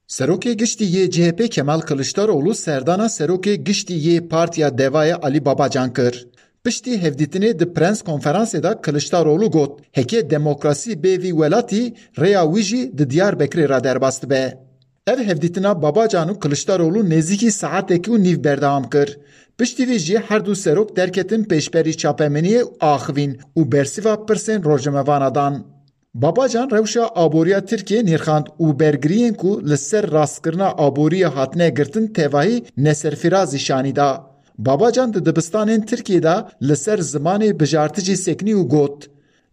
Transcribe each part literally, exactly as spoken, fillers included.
Serokê Giştî yê C H P Kemal Kiliçdaroglu serdana Serokê Giştî yê Partiya Devayê Alî Babacan kir. Piştî hevdîtinê di prens konferansê de Kiliçdaroglu got, heke demokrasî bê vî welatî, rêya wî jî di Diyarbekirê re derbas dibe. Ev hevdîtina Babacan û Kiliçdaroglu nêzîkî saetekî û nîv berdewam kir. Piştî vî jî her du serok derketin pêşberî çapemeniyê û axivîn û bersiva pirsên rojnamevana dan. Babacan rewşa aboriya Tirkiyê nirxand û bergiriyên ku li ser rastkirina aboriyê hatine girtin tevahî neserfirazî şanî da. Babacan di dibistanên Tirkiyê de li ser zimanê bijartî jî sekinî û got,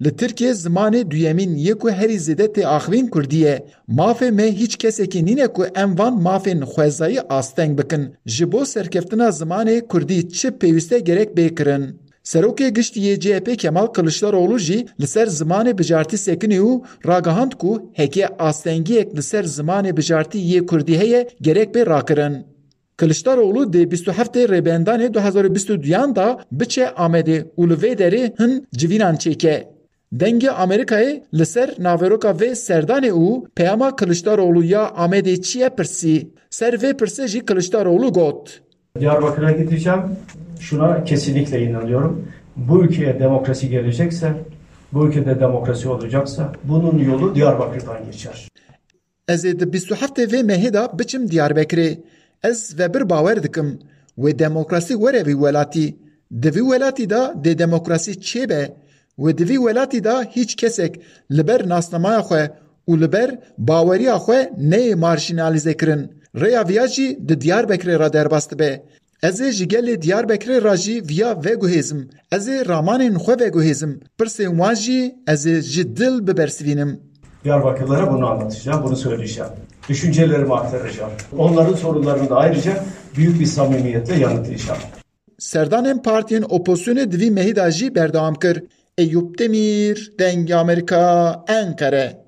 li Tirkiyê zimanê duyemîn yê ku herî zêde tê axivîn kurdî ye. Mafê me hîç kesekî nîne ku em van mafên xwezayî asteng bikin. Ji bo serkeftina zimanê kurdî çi pêwîste gerek bê kirin. Serokê Giştî yê C H P Kemal Kiliçdaroglu jî li ser zimanê bijartî sekinî û ragihand ku heke astengiyek li ser zimanê bijartî yê kurdî heye gerek bê rakirin. Kiliçdaroglu dê bîst û heftê Rêbendanê du hezar û bîst û duyan de biçe Amedê û li vê derê hin civînan çêke. Dengê Amerîkayê li ser naveroka vê serdanê û peyama Kiliçdaroglu ya Amedê çi ye pirsî. Ser vê pirsê jî Kiliçdaroglu got. Diyarbakır'a gideceğim. Şuna kesinlikle inanıyorum. Bu ülkeye demokrasi gelecekse, bu ülkede demokrasi olacaksa bunun yolu Diyarbakır'dan geçer. Ez ê di bîst û heftê vê mehê de biçim Diyarbekirê. Ez vebir bawer dikim, wê demokrasî were vî welatî. Di vî welatî de dê demokrasî çêbe. Wê di vî welatî de hîç kesek li ber nasnamaya xwe û li ber baweriya xwe neyê marjînalîze kirin. Rêya viya jî di Diyarbekirê re derbas dibe. Ez ê ji gelê Diyarbekirê re jî viya veguhêzim. Ez ê ramanên xwe veguhêzim. Pirsên wan jî ez ê ji dil bibersivînim. Diyarbakırlara bunu anlatacağım, bunu söyleyeceğim. Düşüncelerimi aktaracağım. Onların sorunlarını da ayrıca büyük bir samimiyetle yanıtlayacağım. Serdanên partiyên opozisyonê di vî mehî de jî berdewam kir. Eyûp Demîr, Dengê Amerîka, Enqere.